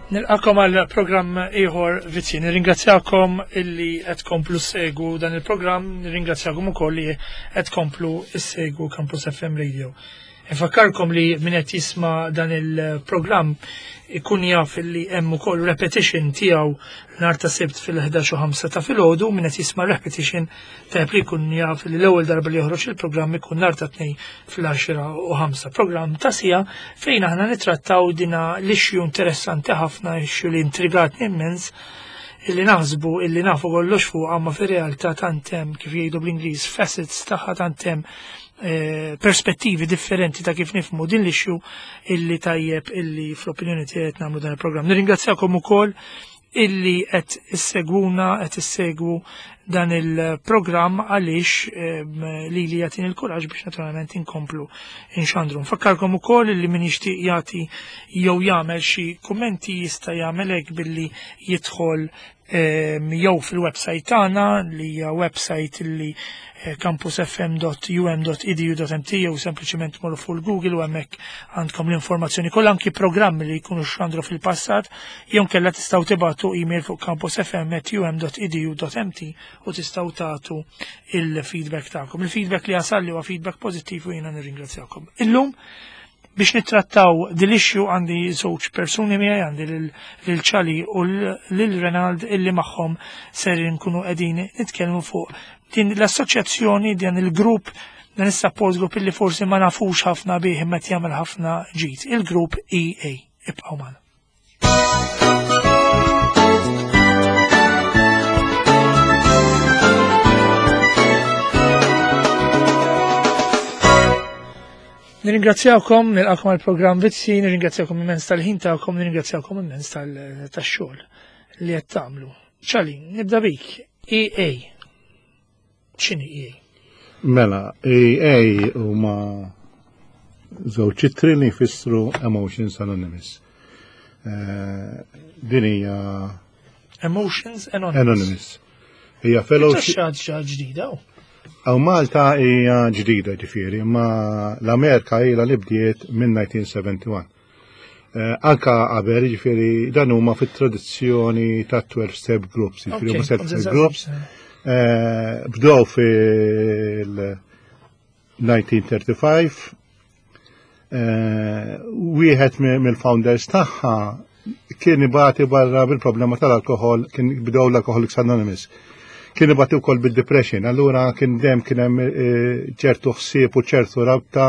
Nilqakom għal programm ieħor vizzji. Nirringrazzjakom illi qed komplu segu dan il-programm, nirringrazzjakom ukoll li qed komplu segu Campus FM Radio. Infakkarkom li min qed jisma' dan il-programm ikun jaf li hemm ukoll repetition tiegħu nhar ta' Sibt fil-11 u 5 ta' filgħodu, min qed jisma' repetition tajjeb li jkun jaf li l-ewwel darba li joħroġ il-programm ikun nhar ta' Tnejn fl-10 u 5. Programm ta' sija fejn aħna nittrattaw dina l-issue interessanti ħafna, issue li intrigatni immens, illi naħsbu illi nafu kollox fuq ma fir-realtà tant hemm kif jgħidu bl-Ingliż facets tagħha tant hemm eh, perspettivi differenti ta' kif nifmu din l-issue illi tajjeb illi fl-opinjoni tiegħi qed nagħmlu dan il-programm. Nirringrazzjakom ukoll illi qed issegwuna qed issegwu dan il-programm għaliex ehm, li li jagħtini l-kuraġġ biex naturalment inkomplu inxandru. Nfakkarkom ukoll li min jixtieq jagħti jew jagħmel xi kummenti jista' jagħmel hekk billi jidħol Ehm, jew fil-website tagħna li hija website li eh, campusfm.um.edu.mt jew sempliċement morru fuq il-Google u hemmhekk għandkom l-informazzjoni kollha anki programmi li jkunu xandru fil-passat jew kella tistgħu tibgħatu email fuq campusfm.um.edu.mt u tistgħu tagħtu il-feedback tagħkom. Il-feedback li jasal li huwa feedback pożittiv u jiena nirringrazzjakom. Illum Biex nittrattaw din l-issue għandi żewġ persuni miegħi għandi lil Ċali u lil Renald illi magħhom ser nkunu qegħdin nitkellmu fuq din l-assoċjazzjoni dan il-grupp dan is-support group illi forsi ma nafux ħafna bih imma qed jagħmel ħafna ġid, il-grupp EA. Ibqgħu magħna. Nirringrazzjawkom, nilqakom għal-programm Vizzi, nirringrazzjawkom immens tal-ħin tagħkom, nirringrazzjawkom immens tax-xogħol li qed tagħmlu. Ċali, nibda bik, EA. X'inhi EA? Mela, EA huma żewġ ċittri li jfissru Emotions Anonymous. Eh, din hija Emotions Anonymous. Anonymous. Hija fellowship. Xi ġdida. Aw Malta hija ġdida ġifieri, imma l-Amerika ilha li bdiet minn 1971. Eh, anka qabel, ġifieri dan huma fit-tradizzjoni ta' 12 step groups, ġifieri huma self groups. Eh, bdew fil-1935, eh, wieħed mill-founders tagħha kien ibati barra bil-problema tal-alkohol, kien bdew l-Alcoholics Anonymous. Kien ibati wkoll bil-depression, allura kien dejjem kien hemm ċertu ħsieb u ċertu rabta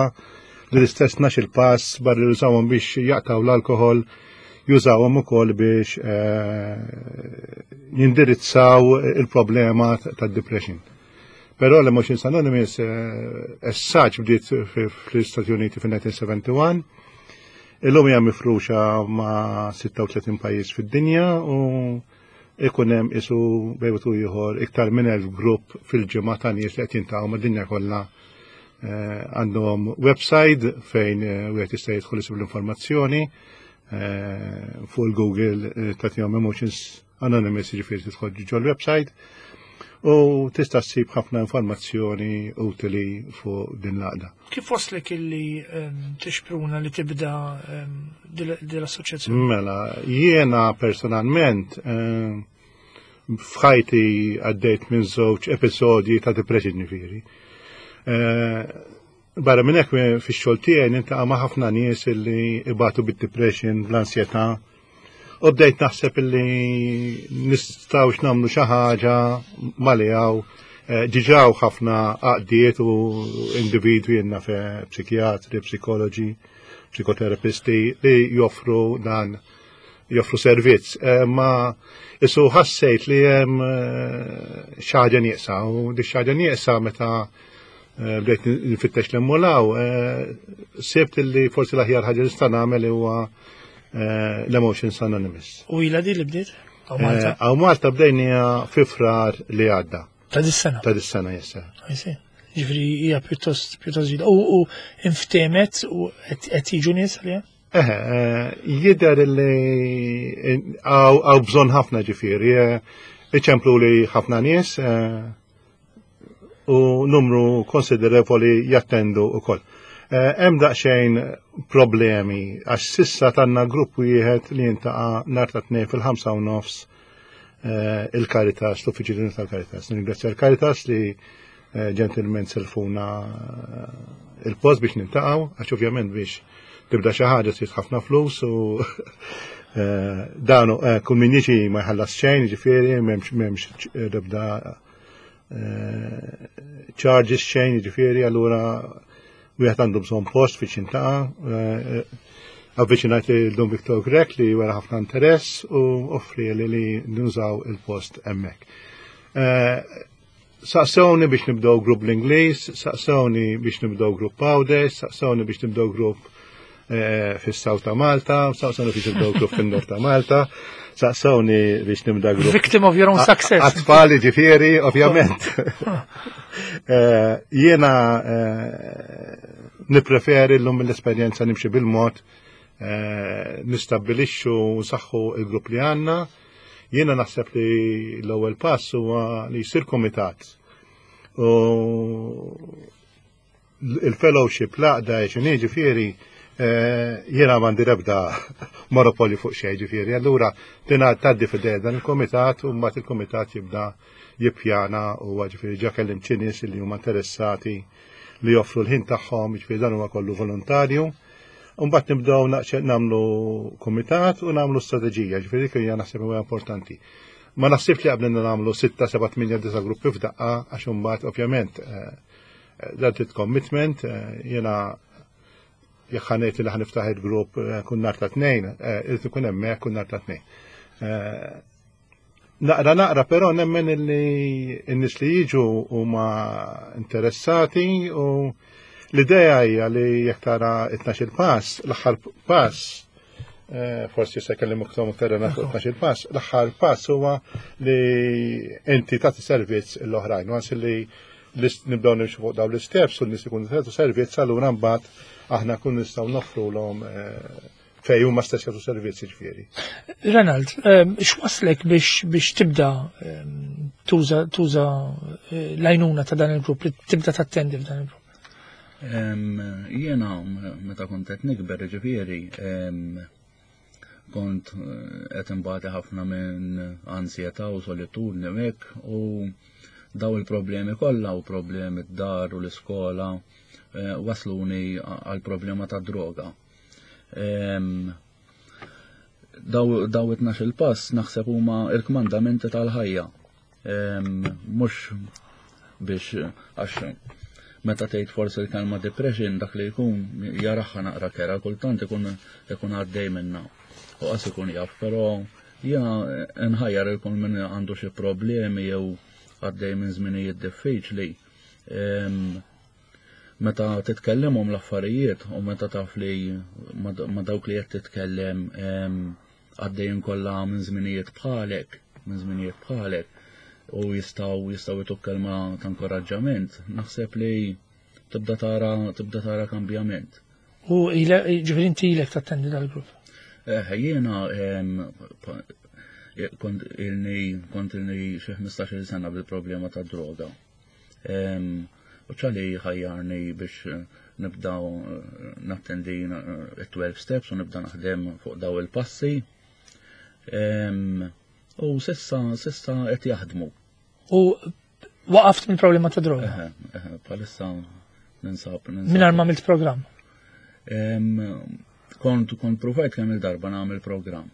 li l-istess nax il-pass barra li jużawhom biex jaqtaw l-alkohol, jużawhom ukoll biex eh, jindirizzaw il-problema tad-depression. Però l-Emotions Anonymous eh, essaċ bdiet fl-Istati Uniti fil-1971, illum hija mifruxa ma' 36 pajjiż fid-dinja u ikun hemm isu bejwet u ieħor iktar minn elf grupp fil-ġimgħa ta' nies li qed jintaqgħu mad-dinja kollha eh, għandhom website fejn eh, wieħed jista' jidħol isib l-informazzjoni eh, fuq il-Google tagħtihom Emotions Anonymous jiġifieri tidħol ġol website u tista' ssib ħafna informazzjoni utili fuq din l-għaqda. Kif waslek illi ehm, tixpruna li tibda ehm, din l-assoċjazzjoni? Mela, jiena personalment ehm, f'ħajti għaddejt minn żewġ episodji ta' depression ġifieri. Eh, barra minn hekk fix-xogħol tiegħi nintaqa' ma' ħafna nies illi ibatu bid-depression, bl-ansjetà. U bdejt naħseb illi nistgħux nagħmlu xi ħaġa malijaw eh, ġiġaw ħafna għaqdiet u individwi jenna fe psikjatri, psikoloġi, psikoterapisti li joffru dan joffru servizz. Eh, ma isu ħassejt li hemm eh, xi ħaġa nieqsa u di xi ħaġa nieqsa meta bdejt nfittex l-emmolaw, sibt li forsi l-aħjar ħaġa nista' nagħmel huwa l-Emotions Anonymous. U ila di li bdiet? Għaw Malta bdejnija fi frar li għadda. Ta' dis-sena? Ta' dis-sena, jessa. Ġifri hija pjuttost pjuttost ġdida. U inftemet u qed jiġu nies għaliha? Eħe, jidher li għaw bżonn ħafna ġifieri. Iċemplu li ħafna nies u numru konsiderevoli jattendu ukoll. Hemm daqsxejn problemi għax sissa tanna grupp wieħed li jintaqa' nhar ta' tnejn fil-5 u nofs il-Caritas, l-Uffiċċju tal-Caritas. Ningrazzja l-Caritas li ġentilment selfuna il-post biex nintaqgħu, għax ovvjament biex tibda xi ħaġa trid ħafna flus u danu kull min jiġi ma jħallas xejn, ġifieri m'hemmx ebda charges xejn, ġifieri allura wieħed għandu bżonn post biex jintaqa'. Avviċinajt lil Dun Victor Grech li wera ħafna interess u offri li li nużaw il-post hemmhekk. Saqsewni biex nibdew grupp l-Ingliż, saqsewni biex nibdew grupp Għawdex, saqsewni biex nibdew grupp fis-South ta' Malta, saqsewni biex nibdew grupp fin-Nord ta' Malta, saqsewni biex nibda grupp. Victim of your own success. Għat-tfal ġifieri, ovvjament. Jiena nippreferi llum mill-esperjenza nimxi bil-mod, nistabbilixxu u nsaħħu il-grupp li għandna. Jiena naħseb li l-ewwel pass huwa li jsir komitat. U il-fellowship l-għaqda x'inhi ġifieri jiena m'għandi l-ebda monopolju fuq xejn ġifieri. Allura tingħad tgħaddi f'idejja dan il-komitat u mbagħad il-komitat jibda jippjana u ġifieri ġa kellimt xi nies li huma interessati li joffru l-ħin tagħhom, ġifieri dan huwa kollu volontarju. Mbagħad nibdew nagħmlu kumitat u nagħmlu strateġija, ġifieri dik hija naħseb huwa importanti. Ma naħsibx li qabel nagħmlu 6, 7, 8, 9 gruppi f'daqqa għax imbagħad ovvjament dan trid commitment, jiena jekk ħanejt li ħaniftaħ il-grupp kull nhar ta' tnejn, irid ikun hemmhekk kull nhar ta' tnejn. Naqra naqra però nemmen li n-nies li jiġu huma interessati u l-idea hija li jekk tara it-tnax-il pass, l-aħħar pass, forsi se kellim iktar iktar fuq it-tnax-il pass, l-aħħar pass huwa li inti tagħti servizz l-oħrajn, once li nibdew nimxu fuq dawn l-isteps u n-nies ikunu tagħtu servizz, allura mbagħad aħna kun nistgħu noffrulhom fej huma stess jagħtu servizzi ġifieri. Renald, x'waslek biex tibda tuża l-għajnuna ta' dan il-grupp, li tibda tattendi f'dan il-grupp? Jiena meta kont qed nikber ġifieri, kont qed inbati ħafna minn ansjetà u solitudni u hekk, u daw il-problemi kollha u problemi d-dar u l-iskola wasluni għal problema ta' droga. Daw it-tnax-il pass naħseb huma il-kmandamenti tal-ħajja. Mhux biex għax meta tgħid forsi l-kelma depression dak li jkun jaraħħa naqra kera, kultant ikun għaddej minna u qas ikun jaf, però jiena nħajjar ikun min għandu xi problemi jew għaddej minn żminijiet diffiċli. Meta titkellimhom l-affarijiet u meta taf li ma dawk li qed titkellem għaddejjin kollha minn żminijiet bħalek, minn żminijiet bħalek, u jistgħu jtuk kelma ta' inkoraġġament, naħseb li tibda tara kambjament. U ġifieri inti ilek tattendi dal-grupp? Jiena kont ilni xi 15-il sena bil-problema ta' droga. U ċali ħajjarni biex nibda nattendi 12 steps u nibda naħdem fuq daw il-passi. U sissa qed jaħdmu. U waqaft minn problema ta' droga? Eħe, eħe, bħalissa ninsab. Mingħajr ma għamilt programm? Kont provajt kemm il-darba nagħmel programm.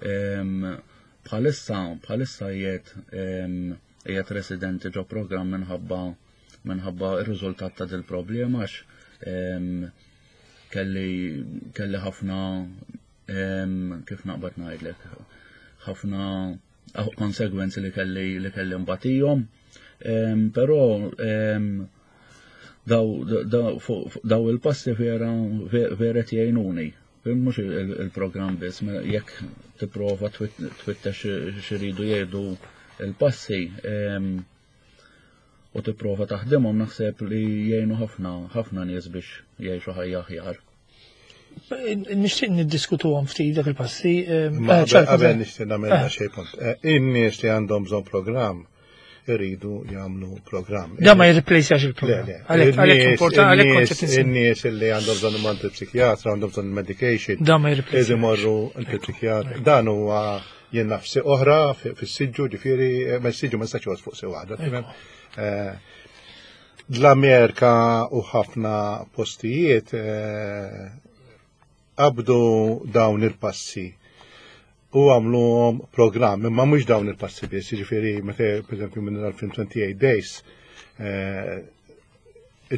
Bħalissa bħalissa qiegħed qiegħed residenti ġo programm minħabba minħabba r-riżultat ta' dil-problema għax kelli kelli ħafna kif naqbad ngħidlek ħafna konsegwenzi li kelli li kelli mbatijhom. Però daw il-passi vera vera jgħinuni. Mhux il-programm biss, jekk tipprova twittex xiridu jgħidu il-passi u tipprova taħdimhom naħseb li jgħinu ħafna ħafna nies biex jgħixu ħajja aħjar. Nixtieq niddiskutuhom ftit dak il-passi. Eh, qabel nixtieq nagħmel eh. xejn punt. Eh, in-nies li għandhom bżonn programm iridu jagħmlu programm. Da ma jirreplejsjax il-programm. Għalhekk għalhekk importanti għalhekk kont qed In-nies li għandhom bżonn imorru psikjatra, għandhom bżonn medication. Da ma jirreplejsjax. Iridu jmorru l-psikjatra. Dan huwa jien nafsi oħra fis-siġġu, ġifieri ma s-siġġu ma nistax fuq si waħda. L-Amerika u ħafna postijiet eh, qabdu dawn il-passi u għamluhom programm, imma mhux dawn il-passi biss, jiġifieri meta pereżempju minn l-film 28 Days eh,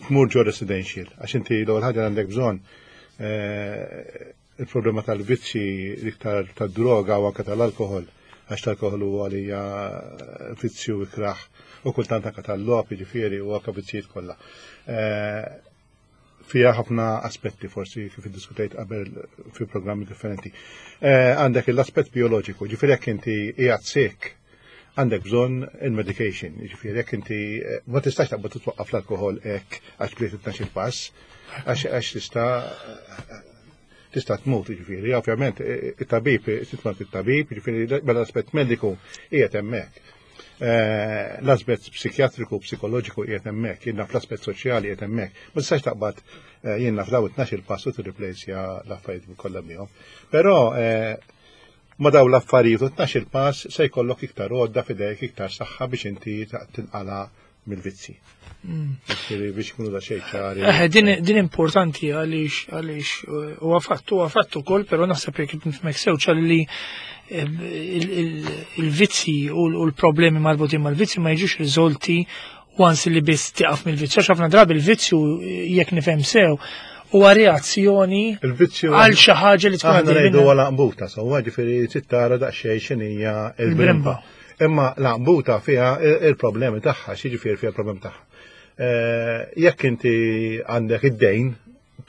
tmur ġo residential, għax inti l-ewwel ħaġa għandek bżonn eh, Il-problema tal-vizzji l-iktar tad-droga u anke tal-alkoħol, għax tal-alkoħol huwa għalija vizzju ikrah u kultant anke tal-logħob jiġifieri u anke vizzijiet kollha. Eh, fija ħafna aspetti forsi kif iddiskutejt qabel fi programmi differenti. Eh, għandek l-aspett bioloġiku, ġifieri jekk inti qiegħed sek għandek bżonn il-medication, ġifieri jekk inti eh, ma tistax taqbad titwaqqaf l-alkoħol hekk għax bdejt it pass, għax tista' tista' tmut, ġifieri, ovvjament it-tabib, titmut it-tabib, ġifieri mela l-aspett mediku qiegħed hemmhekk. Eh, l-aspett psikjatriku, psikoloġiku qiegħed hemmhekk, jiena fl-aspett soċjali qiegħed hemmhekk. Ma tistax taqbad eh, jiena f'daw it-tnax il-pass u tirriplejsja l-affarijiet kollha bihom. Però eh, ma daw l-affarijiet u 12 il-pass se jkollok iktar għodda f'idejk iktar saħħa biex inti tinqala mill-vizzi. Mm. Biex kunu da xejn ċari. Eh, din importanti għaliex għaliex eh, huwa fatt huwa fatt ukoll, però naħseb jekk nifhmek sew li eh, il-vizzi u l-problemi marbutin mal-vizzi ma jiġux riżolti once li biss tiqaf mill-vizzju. Għax ħafna drabi il-vizzju jekk nifhem sew huwa reazzjoni għal xi ħaġa li tkun għaddej. Aħna ngħidu għal qbuta, sewwa ġifieri trid tara daqsxejn x'inhija il-brimba. Imma l-għambuta fiha il-problemi tagħha, x'jiġifieri fiha il-problemi tagħha. Eh, jekk inti għandek id-dejn,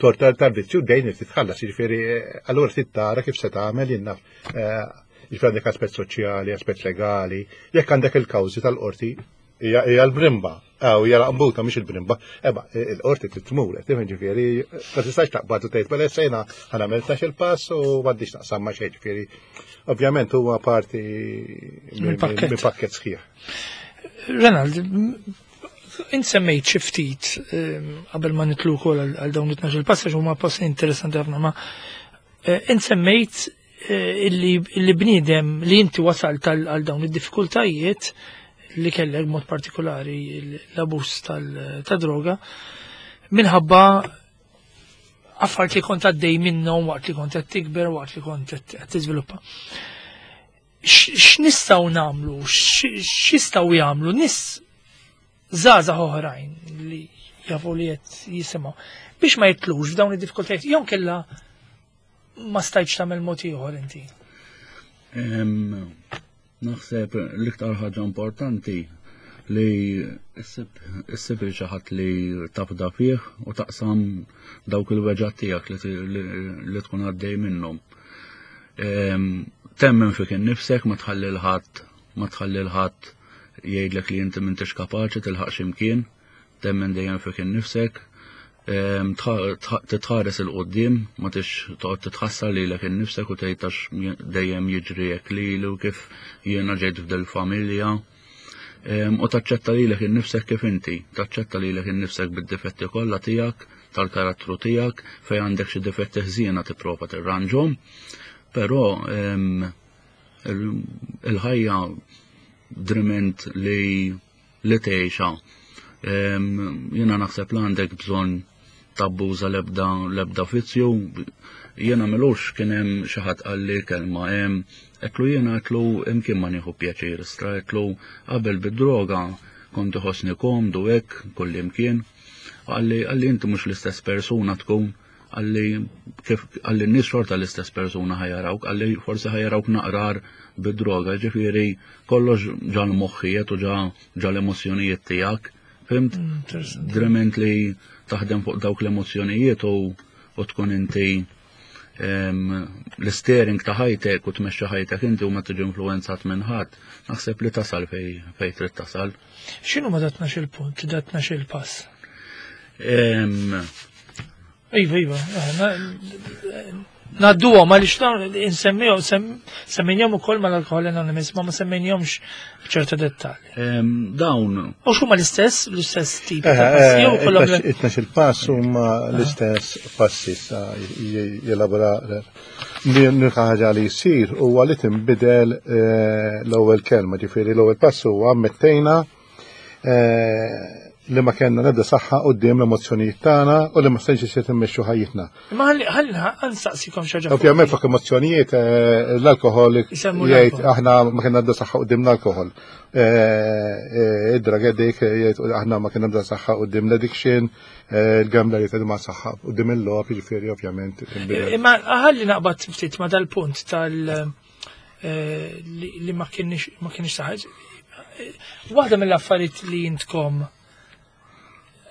torta tal-vizzju dejn irid titħallas, jiġifieri eh, allura trid tara kif se tagħmel jien naf. Eh, jiġifieri għandek aspett soċjali, aspett legali, jekk għandek il-kawżi tal-qorti hija l-brimba, Aw, hija l-qambuta mhix il-brimba. Eba, il-qorti trid tmur, qed tifhem ġifieri, ma tistax taqbad u tgħid mela sejna ħanagħmel tax il-pass u m'għandix naqsam ma' xejn ġifieri. Ovvjament huwa parti minn pakket sħiħ. Renald, int semmejt xi ftit ehm, qabel ma nitlu wkoll għal dawn it-tnax il-pass għax huma passi interessanti ħafna ma eh, int semmejt eh, illi bniedem li inti wasalt għal dawn id-diffikultajiet li kellek mod partikolari l-abus tal-droga minħabba affarijiet li kont għaddej minnhom waqt li kont qed tikber, waqt li kont qed tiżviluppa. X'nistgħu nagħmlu, x'jistgħu jagħmlu nies żgħażagħ oħrajn li jafu li qed jisimgħu biex ma jitlux f'dawn id-diffikultajiet jew kella ma stajtx tagħmel mod ieħor inti? Naħseb l-iktar ħaġa importanti li issib il xi ħadd li tafda fih u taqsam dawk il-weġgħat tiegħek li tkun għaddej minnhom. Temmen fik innifsek ma tħalli l-ħadd ma tħalli l-ħadd jgħidlek li inti m'intix kapaċi tilħaq x'imkien. Temmen dejjem fik innifsek, ehm, titħares il qudiem ma tix toqgħod titħassar lilek innifsek u tgħid għax dejjem jiġri hekk lili u kif jiena ġejt f'dil familja. Ehm, u taċċetta lilek innifsek kif inti, taċċetta lilek innifsek bid-difetti kollha tiegħek, tal-karattru tiegħek, fejn għandek xi difetti ħżiena tipprova tirranġhom, però ehm, il-ħajja driment li li tgħixha. Jiena naħseb li għandek bżonn tabbuża l-ebda l-ebda vizzju. Jiena milux kien hemm xi ħadd qalli kelma hemm Għedtlu jiena għedtlu imkien ma nieħu pjaċir istra għedtlu qabel bid-droga kont iħossni komdu hekk kullimkien. Qalli qalli inti mhux l-istess persuna tkun qalli kif qalli n-nies xorta l-istess persuna ħajarawk, qalli forsi ħajarawk naqrar bid-droga, ġifieri kollox ġa l-moħħijiet u ġa ġa l-emozzjonijiet tiegħek. Fimt? Mm, Drement li taħdem fuq dawk l-emozzjonijiet u u tkun inti l-steering ta' ħajtek u tmexxi ħajtek inti u ma tiġi influenzat minn ħadd, naħseb li tasal fej fej trid tasal. X'inhu ma datna il-punt, datna il-pass? Iva, iva, eh, Nadduhom għaliex dawn insemmihom semmejnihom ukoll mal-Alkohol Anonymous ma ma semmejnihomx b'ċerta dettalji. Dawn. U x'huma l-istess, l-istess tip ta' eh, passi jew kollhom It-tnax il-pass huma l-istess passi sa jelabora l-unika ħaġa li jsir huwa li tinbidel eh, l-ewwel kelma, ġifieri l-ewwel pass huwa ammettejna eh, li ma kellna l-ebda saħħa quddiem l-emozzjonijiet tagħna u li ma stajniex isir immexxu ħajjitna. Imma ħalli ħalli nsaqsikom xi ħaġa. Ovvjament fuq emozzjonijiet eh, l-alkoħol jgħid aħna ma kellna ebda saħħa quddiem l-alkoħol. Eh, eh, id-drug addict jgħid aħna ma kellna ebda saħħa quddiem l-addiction, il-gambler jgħid ma saħħa quddiem il-logħob, jiġifieri ovvjament. Imma ħalli naqbad ftit ma dal-punt tal- li ma kienx saħħa. Waħda mill-affarijiet li jintkom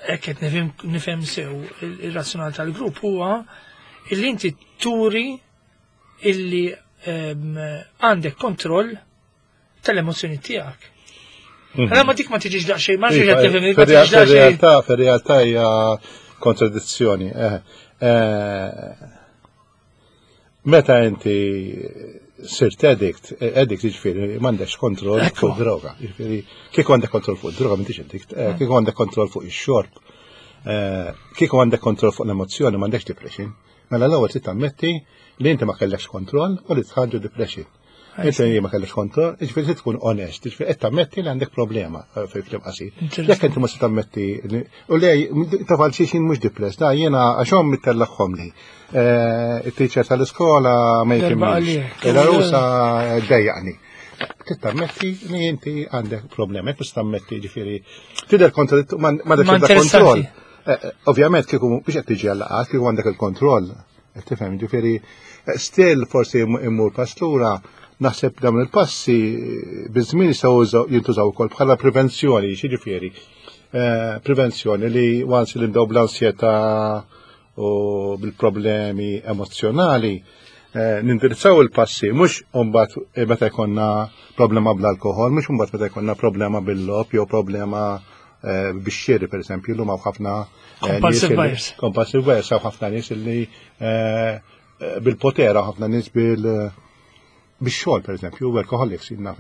hekk qed nifhem sew ir-razzjonal tal-grupp huwa illi inti turi illi ehm, għandek kontroll tal-emozzjoni tiegħek. Mhm. Allora ma dik ma tiġix daqsxejn, ma ġiġ qed tifhem, ma tiġix daqsxejn. Fir-realtà hija kontradizzjoni. Eh, eh, Meta inti sirt addict, addict jiġifieri m'għandekx kontroll fuq droga. Jiġifieri kieku għandek kontroll fuq droga m'intix addict, eh, mm. kieku għandek kontroll fuq ix-xorb, eh, kieku għandek kontroll fuq l-emozzjoni m'għandekx depression. Mela l-ewwel trid tammetti li inti ma kellekx kontroll u li tħarġu depression. Inti ma kellekx kontroll, jiġifieri trid tkun onest, jiġifieri qed tammetti li għandek problema eh, fil kliem qasir. Jekk inti ma se tammetti u le taf għal xi mhux depressed, da jiena għax ommi tellagħhom li. Eh, it-teacher tal-iskola ma jifhimniex. Il-arusa dejjaqni. Trid tammetti li inti għandek problema, jekk tammetti ġifieri tidher kontra ma kontroll. Eh, ovvjament kieku biex qed tiġi għal kieku għandek il-kontroll Tifhem, ġifieri still forsi immur pass lura, naħseb dawn il-passi biż-żmien jistgħu jintużaw ukoll bħala prevenzjoni, ġifieri eh, prevenzjoni li once li nbdew bl-ansjetà u bil-problemi emozzjonali, eh, nindirizzaw il-passi, mhux mbagħad eh, meta jkollna problema bl-alkohol, mhux mbagħad meta jkollna problema bil-lop jew problema Eh, bix-xiri per eżempju, l-lum ħafna eh, compulsive buyers. Compulsive buyers, hawn ħafna nies li eh, bil-potera, ħafna nies bil bix-xogħol per eżempju, workaholics, jien naf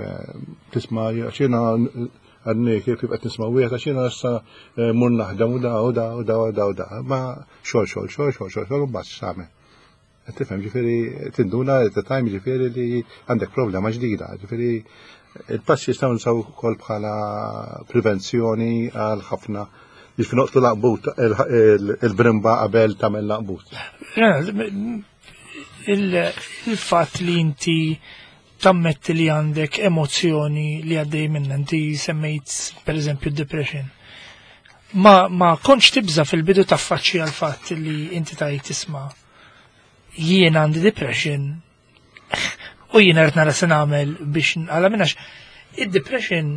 tisma' xina għadni kif qed nisma' wieħed għax jiena issa mur naħdem u da u da u da u da u da. Ma xogħol xogħol xogħol xogħol xogħol xogħol u mbagħad x'tagħmel. Tifhem, ġifieri tinduna at the time ġifieri li għandek problema ġdida, ġifieri il-passi jistgħu nsaw ukoll bħala prevenzjoni għal ħafna ġifieri noqtlu laqbut il-brimba qabel tagħmel laqbut. Il-fatt li inti tammetti li għandek emozzjoni li għaddej minna, inti semmejt per eżempju depression. Ma, ma kontx tibża fil-bidu taffaċċi għal fatt li inti tajt tisma' jien għandi depression u jien qed nara se nagħmel biex nqala minnax. Id-depression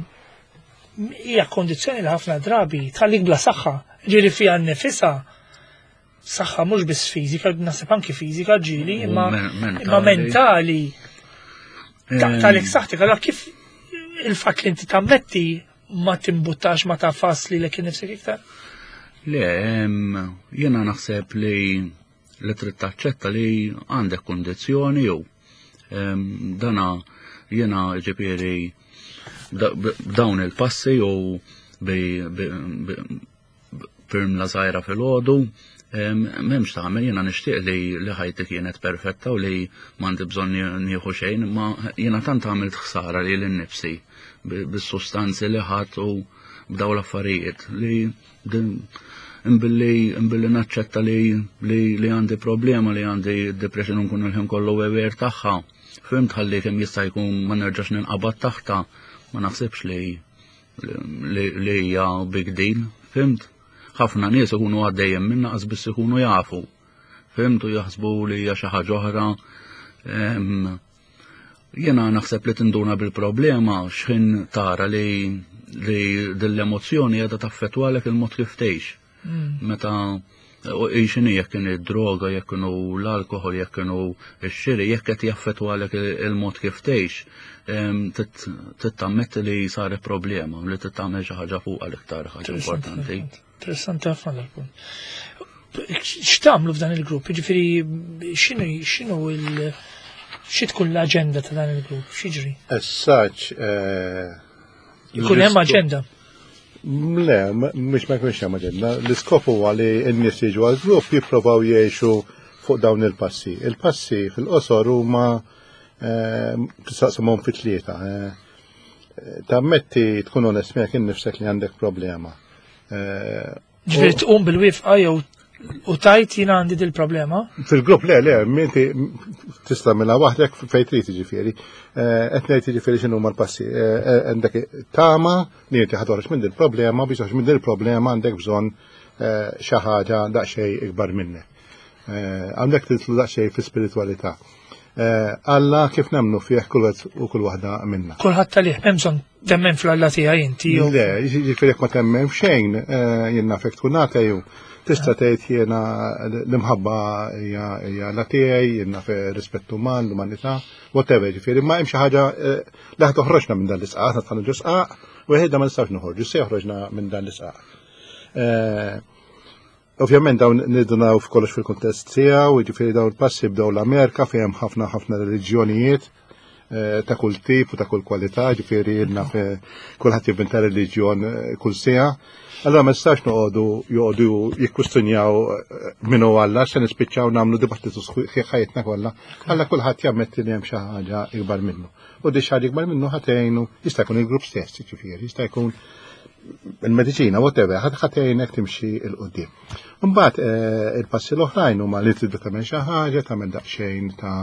hija kondizzjoni li ħafna drabi tħallik bla saħħa, ġieli fiha nnifisha saħħa mhux biss fiżika, naħseb anki fiżika ġieli, imma imma mentali. Taqtalek saħħtek, allora kif il-fatt li inti tammetti ma timbuttax ma tafas li lek nifsek iktar? Le, jiena naħseb li li trid taċċetta li għandek kundizzjoni jew dana jiena ġifieri b'dawn il-passi jew firmla żgħira filgħodu, m'hemmx tagħmel jiena nixtieq li li ħajti kienet perfetta u li m'għandi bżonn nieħu xejn, ma jiena tant għamilt ħsara li lin-nifsi bis-sustanzi li ħadd u b'daw l-affarijiet li imbilli imbilli naċċetta li li għandi problema li għandi depression nkun il-ħin kollu aware tagħha. Fhimt ħalli kemm jista' jkun ma nerġax ninqabad taħta, ma naħsibx li li hija big deal, fhimt? Ħafna nies ikunu għaddejjem minna qas biss ikunu jafu. Fhimt u jaħsbu li hija xi ħaġa oħra. Jiena naħseb li tinduna bil-problema x'ħin tara li li dell-emozzjoni qiegħda taffettwalek il-mod kif tgħix. Meta xini jekk kienu id-droga, jekk kienu l-alkohol, jekk kienu x-xiri, jekk qed jaffettwalek il-mod kif tgħix, tittammetti li saret problema, li tittamel xi ħaġa fuqha l-iktar ħaġa importanti. Interessanti ħafna dal-punt. X'tagħmlu f'dan il-grupp? Jiġifieri x'inhu x'inhu il xi tkun l-aġenda ta' dan il-grupp? X'jiġri? As such, eh, Ikun hemm aġenda. Le, mhux ma jkunx hemm aġenda. L-iskop huwa li n-nies jiġu għal grupp jipprovaw jgħixu fuq dawn il-passi. Il-passi fil-qosor huma eh, tistaqsimhom fi tlieta. Eh, tammetti tkun onest miegħek innifsek li għandek problema. Eh, Ġifieri tqum bil-wifqa jew u tajt jiena għandi dil-problema? Fil-grupp le, le, minti tista' mela waħdek fejn trid jiġifieri. Eh, qed ngħid jiġifieri x'inhu l-passi. Eh, eh, għandek tama li inti ħa minn dil-problema biex toħroġ minn dil-problema għandek bżonn xi ħaġa daqsxejn ikbar minnek. Għandek titlu daqsxejn fi spiritualità. Alla kif nemnu fih kull u kull waħda minna. Kulħadd talih hemm bżonn temmen fl-Alla tiegħi inti jew. Le, jiġifieri jekk ma temmen f'xejn, eh, jien nafek tkun ateju, tista' tgħid jiena l-imħabba hija la tiegħi, jien naf rispett uman, l-umanità, whatever, jiġifieri, ma hemm xi ħaġa eh, li ħa toħroġna minn dan l-isqaq, aħna dħalna ġo sqaq, u ħedna ma nistgħux noħorġu, se joħroġna minn dan l-isqaq. Eh, Ovvjament dawn nidunaw f'kollox fil-kuntest tiegħu, jiġifieri dawn il-passi bdew l-Amerika fejn hemm ħafna ħafna reliġjonijiet eh, ta' kull tip u ta' kull kwalità, ġifieri ilna kulħadd jivvinta reliġjon eh, kull siegħa. Allora ma nistax noqogħdu joqogħdu jikkustinjaw eh, min hu Alla se nispiċċaw nagħmlu dibattitu sħiħ ħajjitna kollha. Alla kulħadd jammetti li hemm xi ħaġa ikbar minnu. U di xi ħaġa ikbar minnu ħatejnu jista' jkun il-grupp stess, ġifieri, jista' jkun il-mediċina, whatever, ħatejnek timxi il-qoddim. Mbagħad eh, il-passi l-oħrajn huma li tibda tagħmel xi ħaġa, tagħmel daqsxejn ta'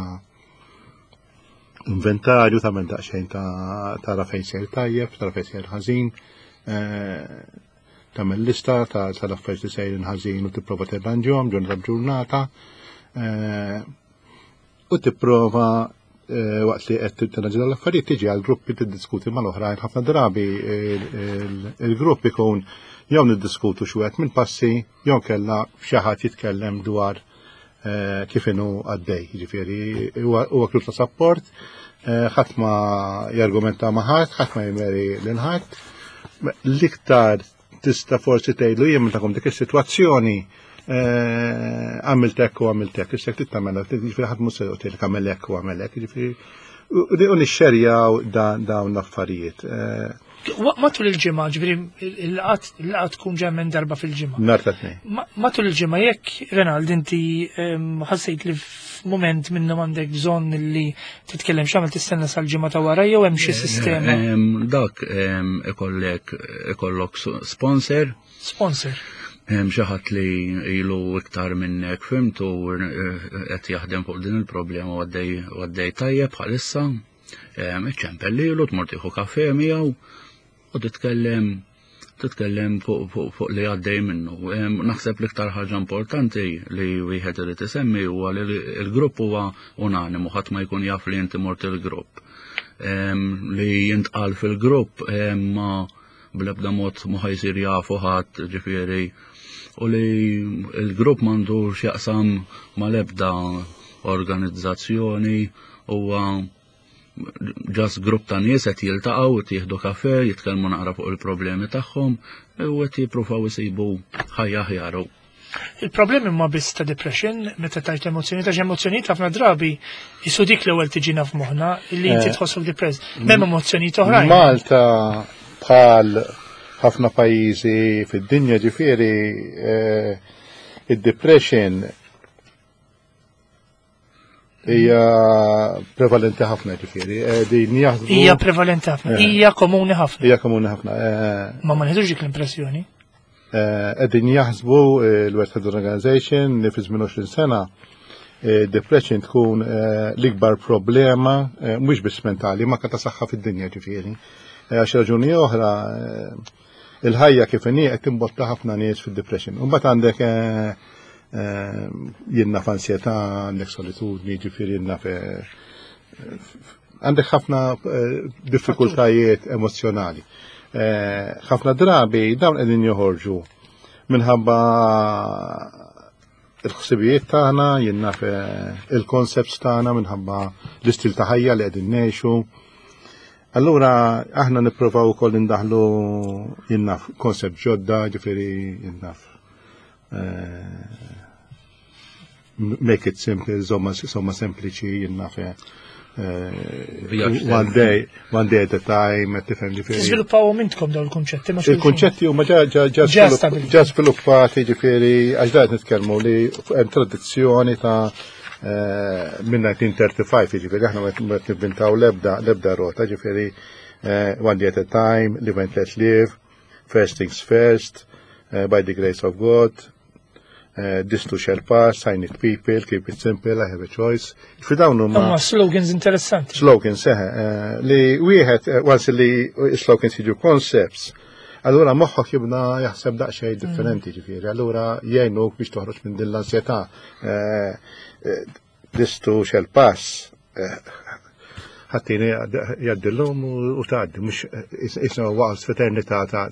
inventarju, tagħmel daqsxejn ta' tara fejn sejr tajjeb, tara fejn sejr ħażin, eh, tagħmel lista tal-affarijiet li sejrin ħażin u tipprova tirranġhom ġurnata b'ġurnata. Eh, u tipprova eh, waqt li qed tirranġa l-affarijiet tiġi għal gruppi tiddiskuti mal-oħrajn ħafna drabi il-grupp ikun jew niddiskutu xi wieħed minn passi jew kella xi ħadd jitkellem dwar eh, kif inhu għaddej. Jiġifieri huwa grupp ta' support, eh, ħadd ma jargumenta ma' ħadd, ħadd ma jmeri lil ħadd. L-iktar tista' forsi tgħidlu jien meta dik is-sitwazzjoni eh, għamilt hekk u għamilt hekk, issa trid tagħmel jiġifieri ħadd mhux se joqgħod għamel hekk u għamel hekk, jiġifieri u nixxerjaw dawn l-affarijiet. Eh, matul il-ġimgħa, ġifieri il-laqgħa tkun ġej minn darba fil-ġimgħa. Nhar ta' tnejn. Matul il-ġimgħa jekk Renald inti ehm, ħassejt li f'mument minnhom għandek bżonn li titkellem x'għamel tistenna sal-ġimgħa ta' wara jew hemm xi eh, sistema? Dak ikollek ikollok sponsor. Sponsor. Hemm xi ħadd li ilu iktar minnek fimtu eh, qed jaħdem fuq din il-problema u għaddej tajjeb bħalissa. Iċċempel lilu tmur tieħu kafe miegħu u titkellem titkellem fuq li għaddej minnu. Naħseb l-iktar ħaġa importanti li wieħed irid isemmi huwa li l-grupp huwa unanimu, ħadd ma jkun jaf li inti mort il-grupp. Li jintqal fil-grupp ma bl-ebda mod ma ħajsir jafu ħadd ġifieri u li l-grupp m'għandu x'jaqsam mal-ebda organizzazzjoni huwa ġas grupp ta' nies qed jiltaqgħu qed jieħdu kafe, jitkellmu naqra fuq il-problemi tagħhom u qed jippruvaw isibu ħajja aħjar. Il-problemi ma biss ta' depression, meta tajt emozzjoni, ta' emozzjonijiet ħafna drabi jisu dik l-ewwel tiġina f'moħħna li inti eh, tħossok depressed. M'hemm emozzjonijiet oħrajn. Malta bħal ħafna pajjiżi fid-dinja ġifieri eh, id-depression Hija prevalenti ħafna ġifieri. Eh, din jaħsbu. Hija prevalenti ħafna, eh. hija komuni ħafna. Hija komuni ħafna. Eh. Ma ma nħedux dik l-impressjoni. Qegħdin jaħsbu l-World Health Organization li fi żmien 20 sena Depression tkun l-ikbar problema mhux biss mentali ma ta' saħħa fid-dinja ġifieri. Għax raġuni oħra il-ħajja kif inhi qed timbotta ħafna nies fid-depression. U mbagħad għandek jien naf ansjetà, għandek solitudni, ġifieri jien naf għandek ħafna diffikultajiet emozjonali. Ħafna drabi dawn qegħdin joħorġu minħabba il-ħsibijiet tagħna, jien naf il-concepts tagħna minħabba l-istil ta' ħajja li qegħdin ngħixu. Allura aħna nipprovaw ukoll indaħlu jien naf concept ġodda, ġifieri jien naf make it simple, żomma sempliċi, jien naf one day at a time, tifhem ġifieri. Tiżviluppaw intkom dawn il-kunċetti ma Il-kunċetti huma ġa sviluppati ġifieri għax da nitkellmu li hemm tradizzjoni ta' minn 1935 ġifieri aħna ma qed nivvintaw l-ebda rota ġifieri one day at a time, live and let live, first things first, by the grace of God, this too shall pass, I need people, keep it simple, I have a choice. Fi dawn huma Huma slogans interessanti. Slogans seħe, li wieħed once li slogans jiġu concepts, allura moħħok jibna jaħseb daqsxejn differenti ġifieri, allura jgħinuk biex toħroġ minn din l-ansjetà. This too shall pass. Ħattini jaddillum u tgħaddi, mhux isna waqt f'eternità ta'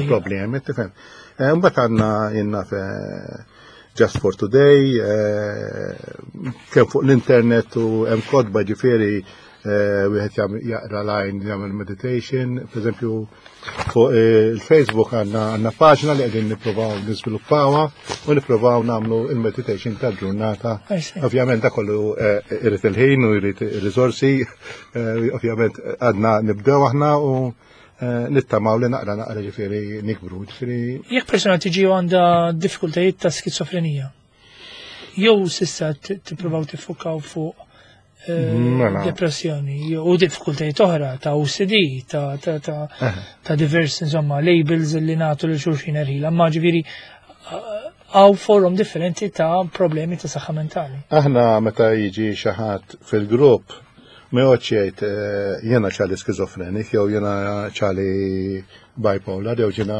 problemi, tifhem. Mbagħad għandna jien naf Just for Today, kemm fuq l-internet u hemm kotba ġifieri wieħed jaqra line jagħmel meditation, per eżempju fuq il-Facebook għandna paġna li qegħdin nippruvaw niżviluppawha u nippruvaw nagħmlu il-meditation tal-ġurnata. Ovvjament dak kollu irid il-ħin u jrid ir-riżorsi, ovvjament għadna nibdew aħna u nittamaw li naqra naqra ġifieri nikbru. Ġifieri Jekk persuna tiġi għandha diffikultajiet ta' skizofrenija, jew s'issa tippruvaw tiffukaw fuq depressjoni u diffikultajiet oħra ta' OCD, ta' diversi insomma labels li nagħtu lil xulxin erħila, ma ġifieri hawn forom differenti ta' problemi ta' saħħa mentali. Aħna meta jiġi xi ħadd fil-grupp ma joqgħodx jgħid jiena ċali skizofrenik jew jiena ċali bipolar jew ġiena.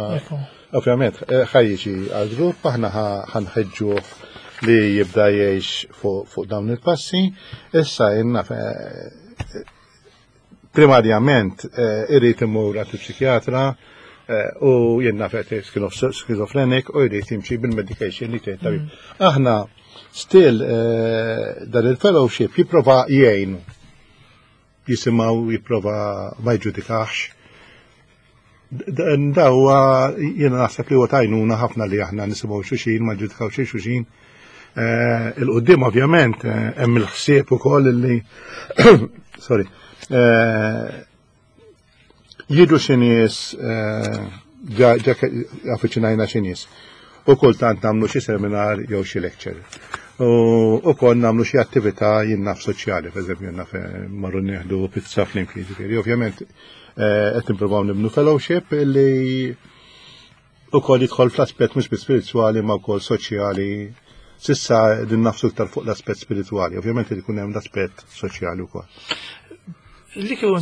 Ovvjament ħa jiġi għal-grupp aħna ħa nħeġġuh li jibda jgħix fuq dawn il-passi. Issa jenna primarjament irid imur għand il-psikjatra u jien naf skizofrenik u jrid jimxi bil-medication li tgħid tabib. Aħna still dan il-fellowship jipprova jgħinu. Jisimgħu jipprova ma jġudikax. Dawa jiena naħseb li huwa t'għajnuna ħafna li aħna nisimgħu xulxin, ma ġudikaw xi xulxin. Il-qudiem ovvjament hemm il-ħsieb ukoll li sorry. Jiġu xi nies ġa affiċinajna xi nies. U kultant nagħmlu xi seminar jew xi lecture. U kol nagħmlu xi attività jien naf soċjali, per eżempju jien naf marru nieħdu pizza flimkien, ġifieri ovvjament qed nippruvaw nibnu fellowship li ukoll jidħol fl-aspett mhux biss spiritwali ma wkoll soċjali. S'issa din nafsu iktar fuq l-aspett spiritwali, ovvjament irid ikun hemm l-aspett soċjali wkoll. Li kieku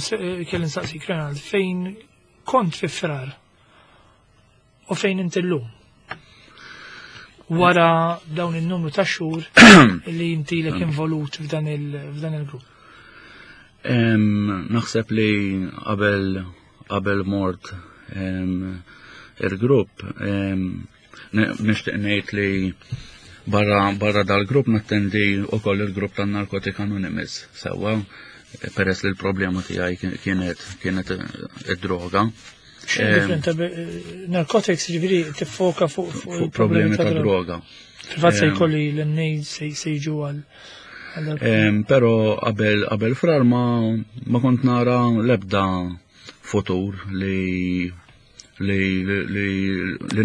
kelli nsaqsik Renald, fejn kont fi Frar u fejn inti llum? Wara dawn il-numru ta' xhur li inti lek involut f'dan il-grupp. Naħseb li qabel mort il-grupp nixtieq ngħid li barra dal-grupp nattendi ukoll il-grupp tan-Narcotic Anonymous sewwa peress li l-problema tiegħi kienet id-droga. X'differenza narcotics ġifieri tiffoka fuq problemi ta' droga. Fil-fatt se jkolli l-NA se jiġu għal Però qabel Frar ma kont nara l-ebda futur li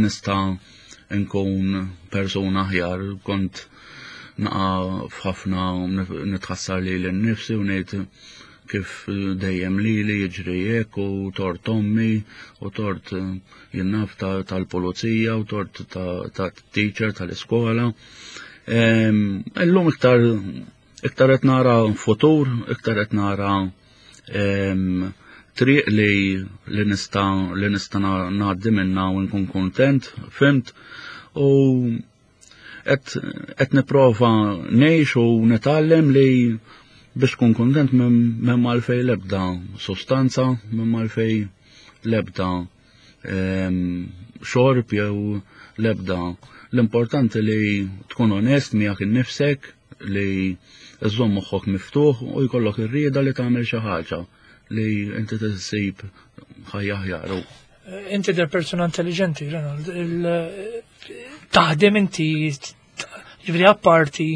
nista' nkun persuna aħjar, kont naqa' f'ħafna nitħassar li l-nifsi u ngħid kif dejjem li li jiġri hekk u tort ommi u tort jien naf tal-pulizija u tort ta' teacher tal-iskola. Illum iktar iktar qed nara futur, iktar qed nara triq li li nista' li nista' ngħaddi minnha u nkun kuntent, fimt? U qed nipprova ngħix u nitgħallem li biex tkun kuntent m'hemm għalfejn l-ebda sostanza, m'hemm għalfejn l-ebda xorb jew l-ebda. L-importanti li tkun onest miegħek innifsek li żżomm moħħok miftuħ u jkollok ir-rieda li tagħmel xi ħaġa li inti tissib ħajja aħjar. Inti der persuna intelligenti, Ronald. Taħdem inti, ġifieri apparti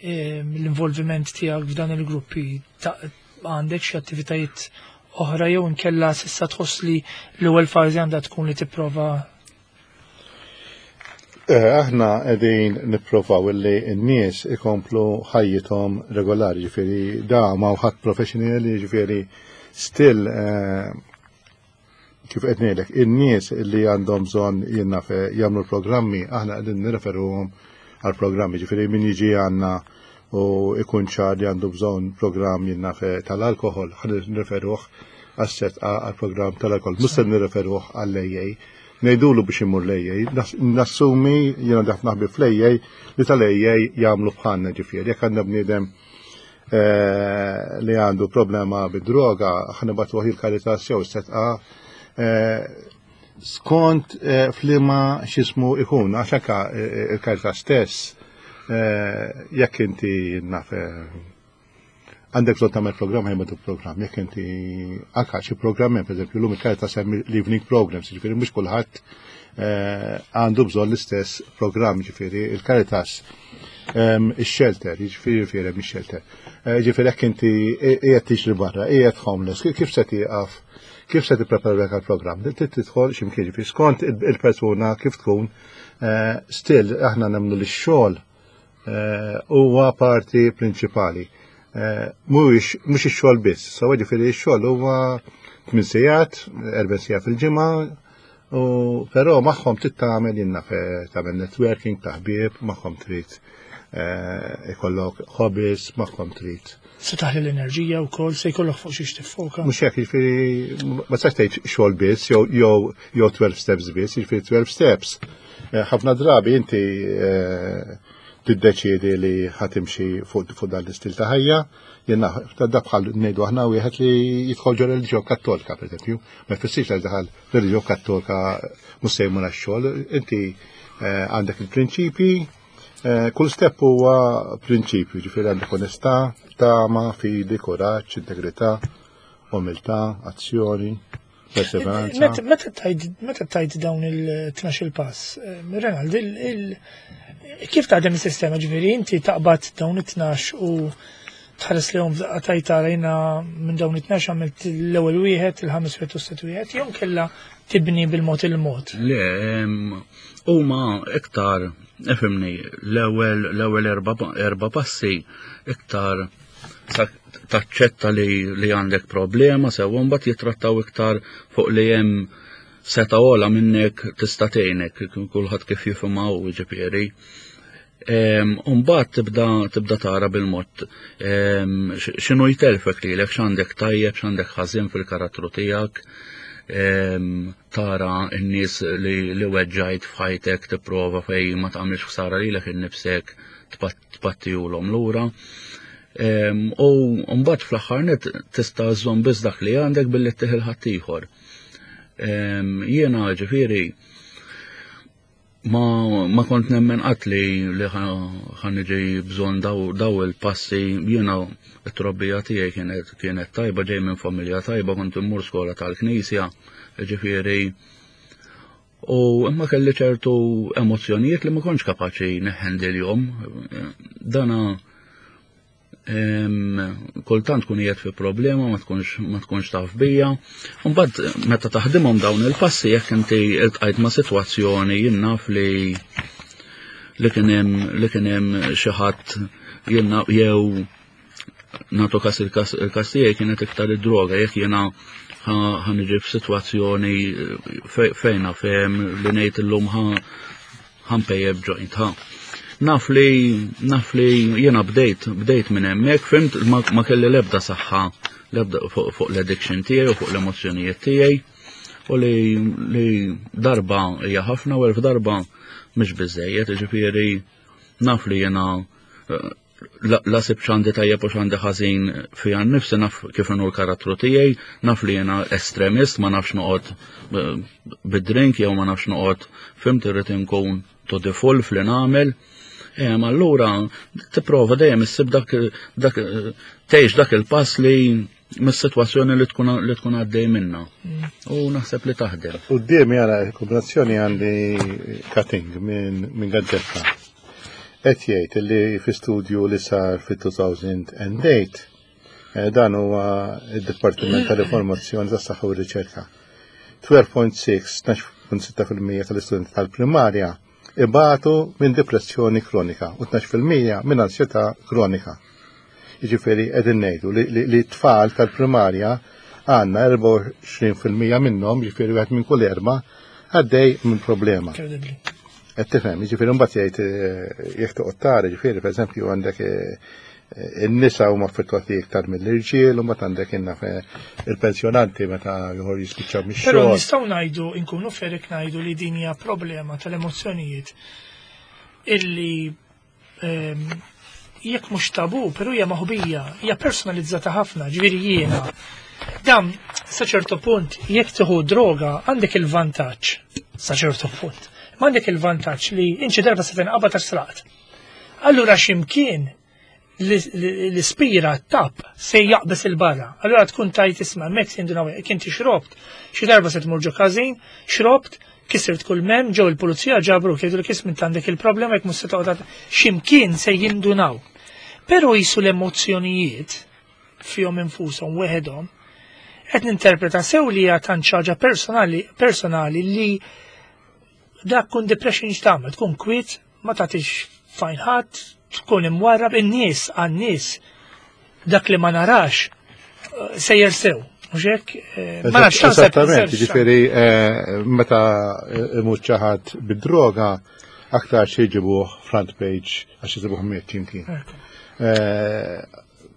l-involviment tiegħek f'dan il-gruppi, għandek xi attivitajiet oħra jew inkella s'issa tħoss li l-ewwel fażi għandha tkun li tipprova? Aħna qegħdin nipprovaw illi n-nies ikomplu ħajjithom regolari, ġifieri da ma ħadd professional, ġifieri still kif qed ngħidlek, in-nies li għandhom bżonn jiena jagħmlu programmi, aħna qegħdin nirreferuhom għal programmi, ġifieri min jiġi għandna u ikun ċar li għandu bżonn programm jiena tal-alkohol, ħa nirreferuh għas-set għal programm tal-alkohol, mhux se nirreferuh għall-AA. Ngħidulu biex imur l-AA, nassumi jiena ħafna ħbieb fl-AA li tal-AA jagħmlu bħalna ġifieri, jekk għandna bniedem li għandu problema bid-droga, ħa nibagħtuh il-Caritas jew Sedqa skont f'liema x'ismu ikun, għax anka il-Caritas stess, jekk inti naf għandek bżonn tagħmel programm ħajmadu programm, jekk inti anka xi programm hemm, pereżempju llum il-Caritas hemm l-evening programs, jiġifieri mhux kulħadd għandu bżonn l-istess programm, jiġifieri il-Caritas ix-shelter, jiġifieri jiġifieri hemm ix-shelter. Jiġifieri jekk inti qiegħed tixri barra, qiegħed homeless, kif se tieqaf, kif se tipprepara għall-programm? Trid tidħol x'imkien, jiġifieri skont il-persuna kif tkun, still aħna nemmnu li x-xogħol huwa parti prinċipali. Mhuwiex mhux ix-xogħol biss, so ġifieri x-xogħol huwa 8 sigħat, 4 sigħat fil-ġimgħa, u però magħhom trid tagħmel jiena tagħmel networking ta' ħbieb, magħhom trid ikollok hobbies, magħhom trid. Se taħli l-enerġija wkoll, se jkollok fuq xiex tiffoka. Mhux hekk, jiġifieri ma tistax tgħid xogħol biss jew jew 12 steps biss, jiġifieri 12 steps. Ħafna drabi inti tiddeċiedi li ħa timxi fuq dan l-istil ta' ħajja, jiena da bħal ngħidu aħna wieħed li jidħol ġo reliġjon kattolika, pereżempju, ma jfissirx li daħal reliġjon kattolika mhux se jmur għax-xogħol, inti għandek il-prinċipji, kull step huwa prinċipju, ġifieri għandek onestà, tama, fidi, kuraġġ, integrità, umiltà, azzjoni, perseveranza. Meta tajt dawn il-12 pass, Renald, kif taħdem is-sistema ġifieri inti taqbad dawn it-12 u tħares li hom tajt rajna minn dawn it-12 għamilt l-ewwel wieħed, il-ħames wieħed u s-sitt wieħed, jew kella tibni bil-mod il-mod? Le, huma iktar, ifhimni, l-ewwel erba' passi iktar taċċetta li għandek problema, sewa mbagħad jittrattaw iktar fuq li hemm seta' ogħla minnek tista' tgħinek, kulħadd kif jifhimha hu ġifieri. Mbagħad tibda tara bil-mod x'inhu jtelfek lilek, x'għandek tajjeb, x'għandek ħażin fil-karattru tiegħek, tara n-nies li weġġajt f'ħajtek, tipprova fej ma tagħmilx ħsara lilek innifsek tpattihulhom lura. U mbagħad fl-aħħar net tista' żżomm biss dak li għandek billi ttih il-ħaddieħor. Jiena ġifieri ma kont nemmen qatt li ħa niġi bżonn daw il-passi. Jiena t-trobbija tiegħi kienet tajba, ġej minn familja tajba, kont immur skola tal-knisja, ġifieri. U imma kelli ċertu emozzjonijiet li ma kontx kapaċi neħendilhom. Dana kultant tkun qiegħed fi problema ma tkunx taf bija. Mbagħad meta taħdimhom dawn il-passi jekk inti iltqajt ma' sitwazzjoni jien naf li kien hemm li kien hemm xi ħadd jien naf jew nagħtu każ il-każ tiegħi kienet iktar id-droga, jekk jiena ħa niġi f'sitwazzjoni fejn naf hemm li ngħid illum ħa npejjeb joint ħa. Naf li naf li jiena bdejt bdejt minn hemmhekk, fimt ma, ma kelli l-ebda saħħa l-ebda fuq fu l-addiction tiegħi u fuq l-emozzjonijiet tiegħi u li, li darba hija ħafna u elf darba mhix biżejjed, jiġifieri naf li jiena eh, la sib xandi tajjeb u xandi ħażin fija nnifsi naf kif inhu l-karattru tiegħi, naf li jiena estremist, ma nafx noqgħod eh, bid-drink jew ma nafx noqgħod fimt irrid inkun to the full fli nagħmel. Allura tipprova dejjem issib dak dak tgħix dak il-pass li mis-sitwazzjoni li tkun li tkun għaddej minna. U naħseb li taħdem. Quddiem jara kombinazzjoni għandi cutting minn min gazzetta. Qed jgħid li fi studju li sar fit-2008 eh, dan huwa id-Dipartiment tal-Informazzjoni tas-Saħħa u r-Riċerka. 12.6 12.6% tal-istudenti tal-primarja ibatu minn depressjoni kronika u 12% minn ansjetà kronika. Jiġifieri qegħdin ngħidu li, li, tfal tal-primarja għandna 24% minnhom, jiġifieri wieħed minn kull erba' għaddej minn problema. Qed tifhem, jiġifieri mbagħad jgħid eh, jekk toqgħod tara, jiġifieri pereżempju għandek eh, in-nisa huma affettwati iktar mill-irġiel, u mbagħad għandek inna il-pensjonanti meta joħor jispiċċaw mix-xogħol. Però nistgħu ngħidu nkunu ferik ngħidu li din hija problema tal-emozzjonijiet illi ehm, jekk mhux tabu, però hija maħbija, hija personalizzata ħafna, ġifieri jiena. Dan sa ċertu punt jekk tieħu droga għandek il-vantaġġ sa ċertu punt. Ma għandek il-vantaġġ li inċi darba se tinqabad għax sraqt. Allura x'imkien l-ispira tap se jaqbes il-barra. Allura tkun tajt isma' mek jindunaw jekk inti xrobt, xi darba se tmur ġo każin, xrobt, kisirt kull mem, ġew il-pulizija ġabru jgħidu li kismin għandek il-problema jekk mhux se toqgħod x'imkien se jindunaw. Però jisu l-emozzjonijiet fihom infushom weħedhom qed ninterpreta sew li hija tant ħaġa personali personali li dak kun depression x'tagħmel, tkun kwiet, ma tagħtix fajn ħadd, tkun imwarrab in-nies għan-nies dak li ma narax eh, sejjer sew. Mhux hekk? Eh, ma nafx Esattament, jiġifieri eh, meta imut xi ħadd bid-droga aktar xi jġibuh front page għax jġibuh miet jimkien.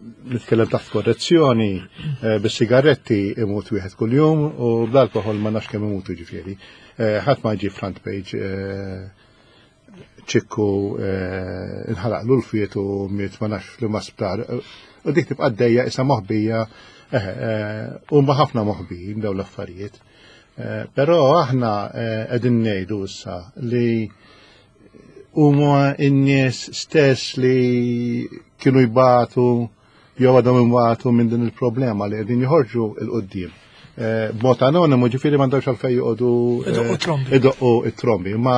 Nitkellem taħt korrezzjoni, bis-sigaretti imut wieħed kuljum u bl-alkoħol ma nafx kemm imutu ġifieri. Ħadd ma jġib front page ċikku eh, inħalaq l-ulfiet u miet ma nafx li ma sptar. U dik tibqa' dejja isa moħbija eh, eh, u ma ħafna moħbijin daw l-affarijiet. Però aħna qegħdin ngħidu issa li huma n-nies stess li kienu jbatu jew għadhom imwatu minn din il-problema li qegħdin joħorġu 'l quddiem. Eh, b'mod anonimu ġifieri m'għandhomx għalfejn joqogħdu eh, idoqqu it-trombi, imma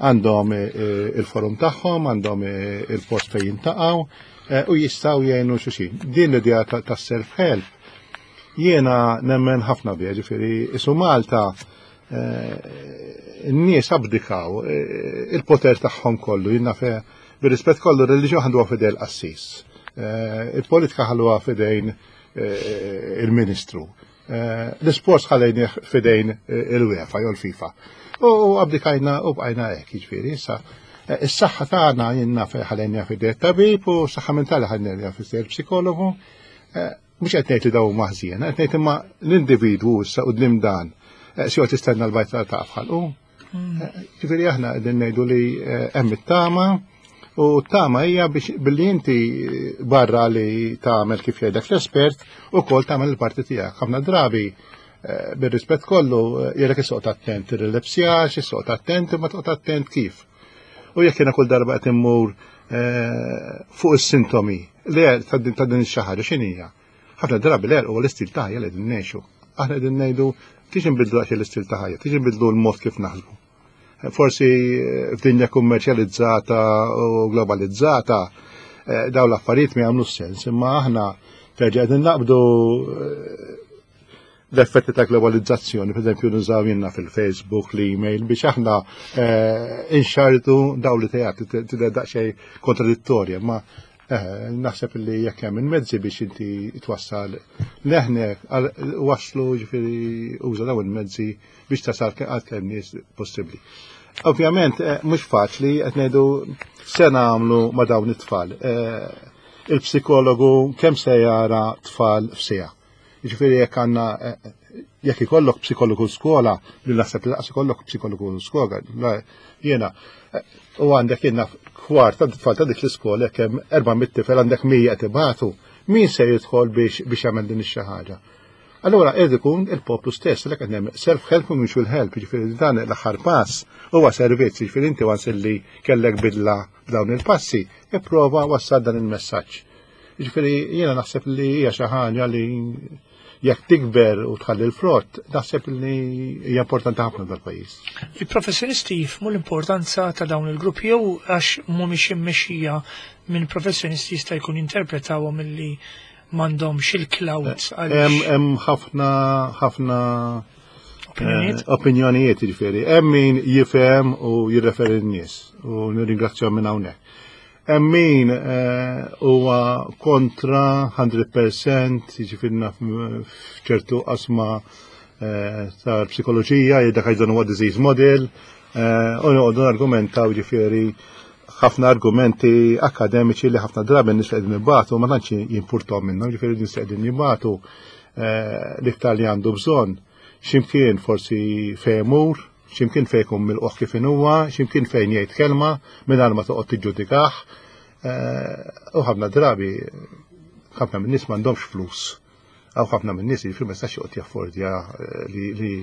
għandhom eh, il-forum tagħhom, għandhom il-post fejn jintaqgħu u jistgħu jgħinu xulxin. Din l-idea ta' self-help jiena nemmen ħafna biha, ġifieri isu Malta n-nies abdikaw il-poter tagħhom kollu, jiena fe Bir-rispett kollu, r-reliġjon ħaduha f'idejn il-qassis. Eh, il-politika ħalluha f'idejn eh, il-ministru. Eh, l-isports ħallejnih f'idejn il-UEFA jew l-FIFA. U abdikajna u bqajna hekk, jiġifieri, issa is-saħħa tagħna jinnna ħallejniha f'idejn tabib u s-saħħa mentali ħallejniha f'idejn il-psikologu. Mhux qed ngħid li dawn huma ħżiena, qed ngħid imma l-individwu issa quddiem dan se joqgħod jistenna l-bajta ta' f'ħalqu. Ġifieri aħna qegħdin ngħidu li eh, hemm it-tama u t-tama hija biex billi inti barra li tagħmel kif jgħidlek l-espert ukoll tagħmel il-parti tiegħek. Ħafna drabi eh, bir-rispett kollu eh, jgħidlek isoqgħod attent tirrilepsjax, isoqgħod attent imma toqgħod attent kif. U jekk jiena kull darba qed immur fuq is-sintomi li ta' din xi ħaġa x'inhija? Ħafna drabi l-għerq huwa l-istil ta' ħajja li qegħdin ngħixu. Aħna qegħdin ngħidu tiġi nbidlu daqsxejn l-istil ta' ħajja, tiġi nbidlu l-mod kif naħsbu. Forsi eh, f'dinja kummerċjalizzata u globalizzata eh, dawn l-affarijiet ma jagħmlu sens, imma aħna terġa' qegħdin naqbdu eh, l-effetti ta' globalizzazzjoni, per eżempju nużaw jenna fil-Facebook, l-email, biex aħna inxardu daw li tejat, tidher daqsxejn kontradittorja, ma Eh, naħseb li jekk hemm il-mezzi biex inti twassal leħnek waslu ġifieri uża dawn il-mezzi biex tasal għal kemm nies possibbli. Ovvjament, eh, mhux faċli qed ngħidu se nagħmlu ma' dawn it-tfal. Eh, il-psikologu kemm se jara tfal f'sija. Jiġifieri jekk għandna eh, jekk ikollok psikologu skola, li naħseb li laqas ikollok psikologu skola, jiena u għandek jiena kwart ta' tfal ta' dik l-iskola jekk hemm 400 tifel għandek 100 qed ibatu, min se jidħol biex biex jagħmel din ix-xi ħaġa? Allura qed ikun il-poplu stess li qed hemm self-help u mutual help, jiġifieri dan l-aħħar pass huwa servizz, jiġifieri inti once li kellek bidla b'dawn il-passi, ipprova wassal dan il-messaġġ. Jiġifieri jiena naħseb li hija xi ħaġa li jekk tikber u tħalli l-frott, naħseb li hija importanti ħafna dal-pajjiż. Il-professjonisti jifhmu l-importanza ta' dawn il-gruppi jew għax mhumiex immexxija minn professjonisti jista' jkun jinterpretawhom illi m'għandhomx il-clout għaliex. Hemm ħafna ħafna opinjonijiet, eh, opinjonijiet jiġifieri. Hemm min jifhem u jirreferi n-nies u nirringrazzjahom minn hawnhekk. Hemm min eh, huwa kontra 100% jiġifieri naf f'ċertu qasma eh, tal-psikoloġija jgħidlek għax dan huwa disease model u noqogħdu nargumentaw jiġifieri ħafna argumenti akademiċi li ħafna drabi n-nies li qegħdin ibatu ma tantx jimpurtom minnhom, ġifieri nies li qegħdin jibatu eh, l-iktar li għandu bżonn x'imkien forsi fejn imur, x'imkien fejn ikun milquh kif huwa, x'imkien fejn jgħid kelma mingħajr ma toqgħod tiġġudikah. Eh, u ħafna drabi ħafna min-nies m'għandhomx flus. Għaw ħafna minn nies jiġifieri ma jistax joqgħod jaffordja eh, li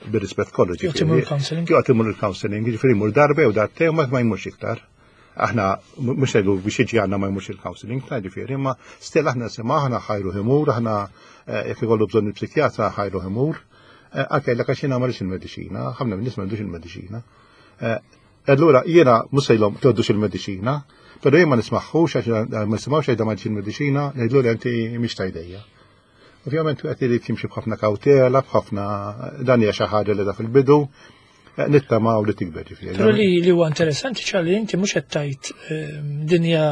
bir-rispett kollu ġifieri. Imur il-counseling. Joqgħod imur il-counseling, jiġifieri jmur darba jew darbtejn ma jmurx iktar. Aħna mhux ngħidu biex jiġi għandna ma jmurx il-counseling, ta' ġifieri, imma still aħna nisimgħu aħna ħajru imur, aħna eh, jekk ikollu bżonn il-psikjatra ħajru imur. Eh, anke jgħidlek għax jiena ma il-mediċina, ħafna minn nies m'għandux il-mediċina. Allura jiena mhux sejlhom toddux il-mediċina, però jien ma nismaħħux għax ma nisimgħux għajda ma il-mediċina, ngħidlu li inti mhix tajdejja. Ovvjament qed irid jimxi b'ħafna kawtela, b'ħafna dan hija xi ħaġa li da fil-bidu, eh, nittamaw li tikber ġifieri. Però li li huwa interessanti ċarli inti mhux qed tgħid eh, dinja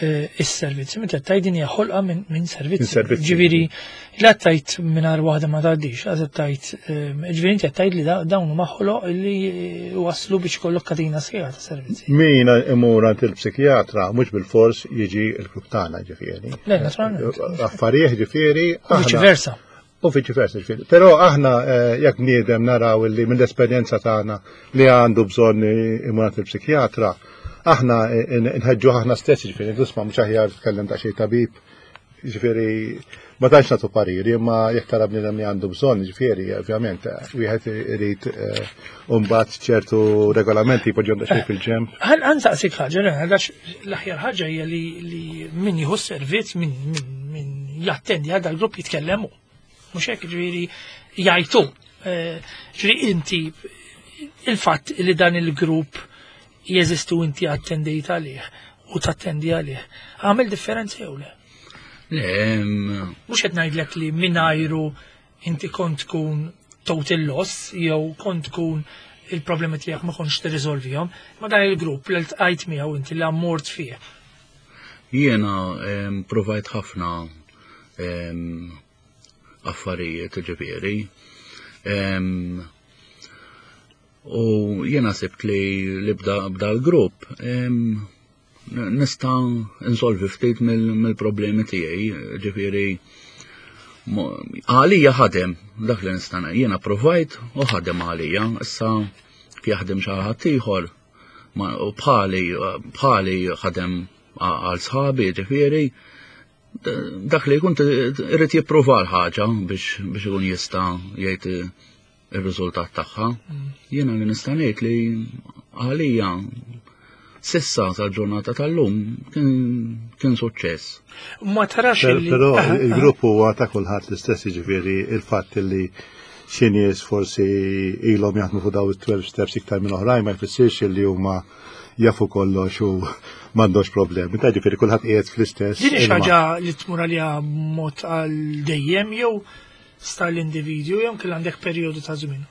Eh, is-servizzi, meta tajt din hija ħolqa minn servizzi. Ġifieri la tajt mingħajr waħda ma tgħaddix, għaż tajt eh, ġifieri inti tajt li dawn huma ħoloq li waslu biex kollok katina sħiħa ta' servizzi. Min imur għand il-psikjatra mhux bil-fors jiġi l-grupp tagħna ġifieri. Le, naturalment. Affarijiet ġifieri. U viċi versa. U viċi versa ġifieri. Però aħna eh, jekk bniedem naraw li mill-esperjenza tagħna li għandu bżonn imur għand il-psikjatra, aħna eh, nħeġġu aħna stess ġifieri, nisma' mhux aħjar tkellem daqsxejn tabib, ġifieri ma tantx nagħtu pariri, imma jekk tara bniedem li għandu bżonn, ġifieri, ovvjament, wieħed irid eh, mbagħad ċertu regolamenti jpoġġhom daqsxejn fil-ġemp. Għan saqsik ħaġa, għax l-aħjar ħaġa hija li min jieħu servizz min min jattendi għal dal-grupp jitkellemu. Mhux hekk ġifieri jgħajtu. Eh, ġifieri inti il-fatt li dan il-grupp jeżistu inti attendejt għalih u tattendi għalih, għamel differenza jew le? Le, Mhux qed ngħidlek li mingħajru inti kont tkun total loss jew kont tkun il-problemi tiegħek ma kontx tirriżolvihom, ma dan il-grupp li ltqajt miegħu inti li ammort fih. Jiena provajt ħafna affarijiet ġifieri. U jiena sibt li li bda l-grupp nista' insolvi ftit mill-problemi tiegħi, ġifieri għalija ħadem dak li nista' jiena provajt u ħadem għalija, issa jaħdem xi ħadd ieħor u bħali bħali ħadem għal sħabi, ġifieri dak li jkun irid jipprova l-ħaġa biex biex ikun jista' jgħid ir-riżultat tagħha. Mm. Jiena li nista' ngħid li għalija sissa tal-ġurnata tal-lum kien suċċess. Ma tarax Però il-grupp huwa ta' kulħadd l-istess jiġifieri il-fatt li xi nies forsi ilhom jaħdmu fuq daw it-12 steps iktar minn oħrajn ma jfissirx li huma jafu kollox u m'għandhomx problemi. Ta' ġifieri kulħadd qiegħed fl-istess. Din ħaġa li tmur għaliha mod għal dejjem jew sta l-individwu jew kien għandek perjodu ta' żmien?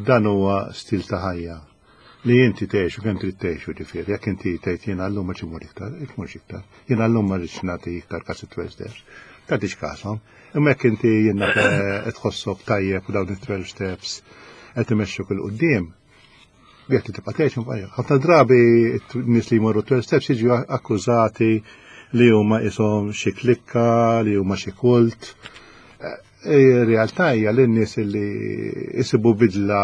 Dan huwa stil ta' ħajja li inti tgħixu kemm trid tgħixu ġifieri, jekk inti tgħid jiena llum ma imur iktar, tmurx iktar. Jiena llum ma rridx nagħti iktar każ it-12 steps. Tagħtix kashom. Imma jekk inti jiena tħossok tajjeb u dawn it-12 steps qed imexxuk il quddiem. Jekk li tibqa' tgħix ħafna drabi nies li jmorru 12 steps jiġu akkużati li huma ishom xi klikka, li huma xi kult. Ir-realtà hija li n-nies li jsibu bidla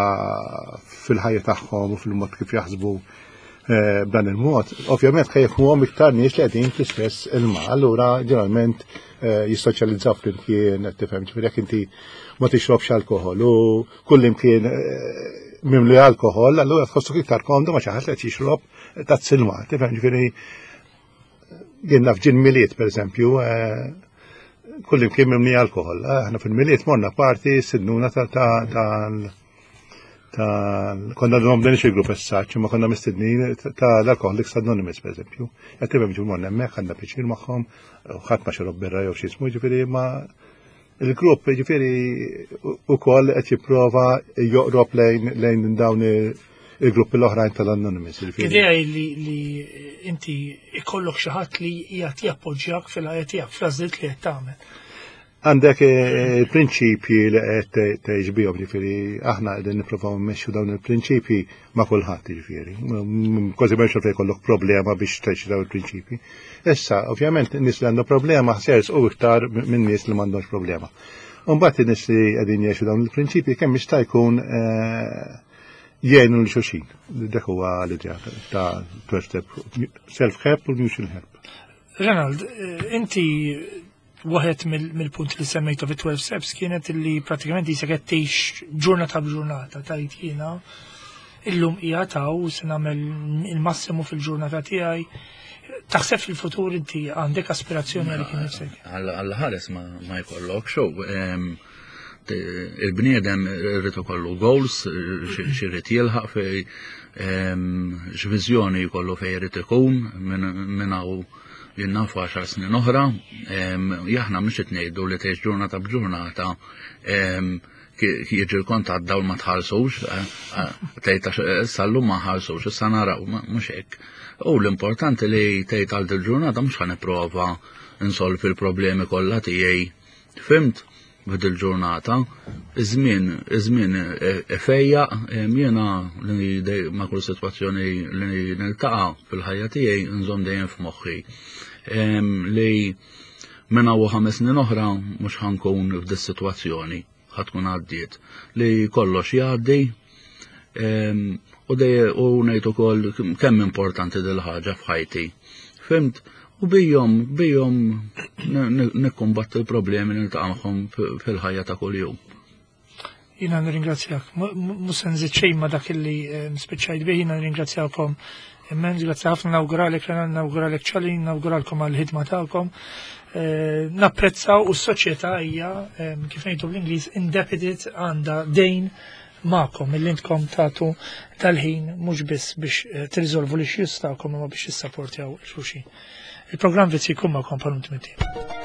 fil-ħajja tagħhom u fil-mod kif jaħsbu eh, b'dan il-mod, ovvjament ħa jifhmuhom iktar nies li qegħdin fl-istess ilma. Allura ġeneralment eh, jissoċjalizzaw flimkien, qed tifhem, ġifieri jekk inti ma tixrobx alkoħol u kull imkien eh, mimli alkoħol, allura tħossok iktar komdu ma xi ħadd li qed jixrob tazz ilma, tifhem ġifieri Jien naf ġin miliet, per eżempju, eh, kull imkien mimni alkohol. Eh, aħna fil-miliet morna parti sidnuna ta' ta' konna d-nom dan il-grupp essaċ, ma konna mistednin ta' l-Alcoholics Anonymous, per eżempju. Qed tifhem ġu morna hemmhekk għandna pjaċir magħhom, ħadd ma xorob birra jew xi jismu, ġifieri ma il-grupp ġifieri ukoll qed jipprova joqrob lejn dawn il-gruppi l-oħrajn tal-Anonymous. Idea li, li inti ikollok xi ħadd li qiegħed jappoġġjak fil-ħajja tiegħek fl-għażliet li qed tagħmel. Għandek eh, il-prinċipji li qed tgħix bihom, ġifieri aħna qegħdin nippruvaw mmexxu dawn il-prinċipji ma' kulħadd ġifieri. Kważi m'hemmx fejn jkollok problema biex tgħix dawn il-prinċipji. Issa, ovvjament, nies li għandhom problema sers u iktar minn nies li m'għandhomx problema. Umbagħad in-nies li qegħdin jgħixu dawn il-prinċipji kemm jista' jkun eh, jgħinu l xulxin. Dak huwa l-idea ta' 12 step self-help u mutual help. Renald, eh, inti waħed mill-punt li semmejtu fi 12 steps kienet li pratikament jisek qed tgħix ġurnata b'ġurnata tajt jiena illum hija taw se nagħmel il-massimu fil-ġurnata tiegħi. Taħseb fil-futur inti għandek aspirazzjoni għalik innifsek? Għal ħares ma jkollok xow. Il-bniedem irid ikollu goals, x'irid jilħaq fej x'viżjoni jkollu fejn irid ikun minn hawn jien nafu għaxar snin oħra, aħna mhux qed ngħidu li tgħix ġurnata b'ġurnata jiġi l-kont għad-dawl ma tħallsux, eh, eh, tgħid għax issa llum ma ħallsux, issa naraw, mhux hekk. U l-importanti li tgħid għal dil-ġurnata mhux ħa nipprova nsolvi l-problemi kollha tiegħi. Fimt? F'dil ġurnata, iż-żmien, iż-żmien ifejjaq, jiena li ma' kull sitwazzjoni li niltaqa' fil-ħajja tiegħi nżomm dejjem f'moħħi li minn hawn 5 snin oħra mhux ħa nkun f'dis-sitwazzjoni, ħa tkun għaddiet, li kollox jgħaddi u u ngħid ukoll kemm importanti dil-ħaġa f'ħajti. Fimt? U bijom, bijom nikkumbatti l-problemi niltaqa' magħhom fil-ħajja ta' kuljum. Jina nirringrazzjak. Mhux se nżid xejn ma' dak li eh, spiċċajt bih, jina nirringrazzjakom immens, grazzi ħafna nawguralek, nawguralek ċali, nawguralkom għall-ħidma tagħkom. Eh, napprezzaw u s-soċjetà hija eh, kif ngħidu bl-Ingliż indebted għandha dejn magħkom illi intkom tagħtu tal-ħin mhux biss biex eh, tirriżolvu l-issues tagħkom imma biex tissapportjaw il-xulxin. Il-programm Vizzi jkun magħkom bħal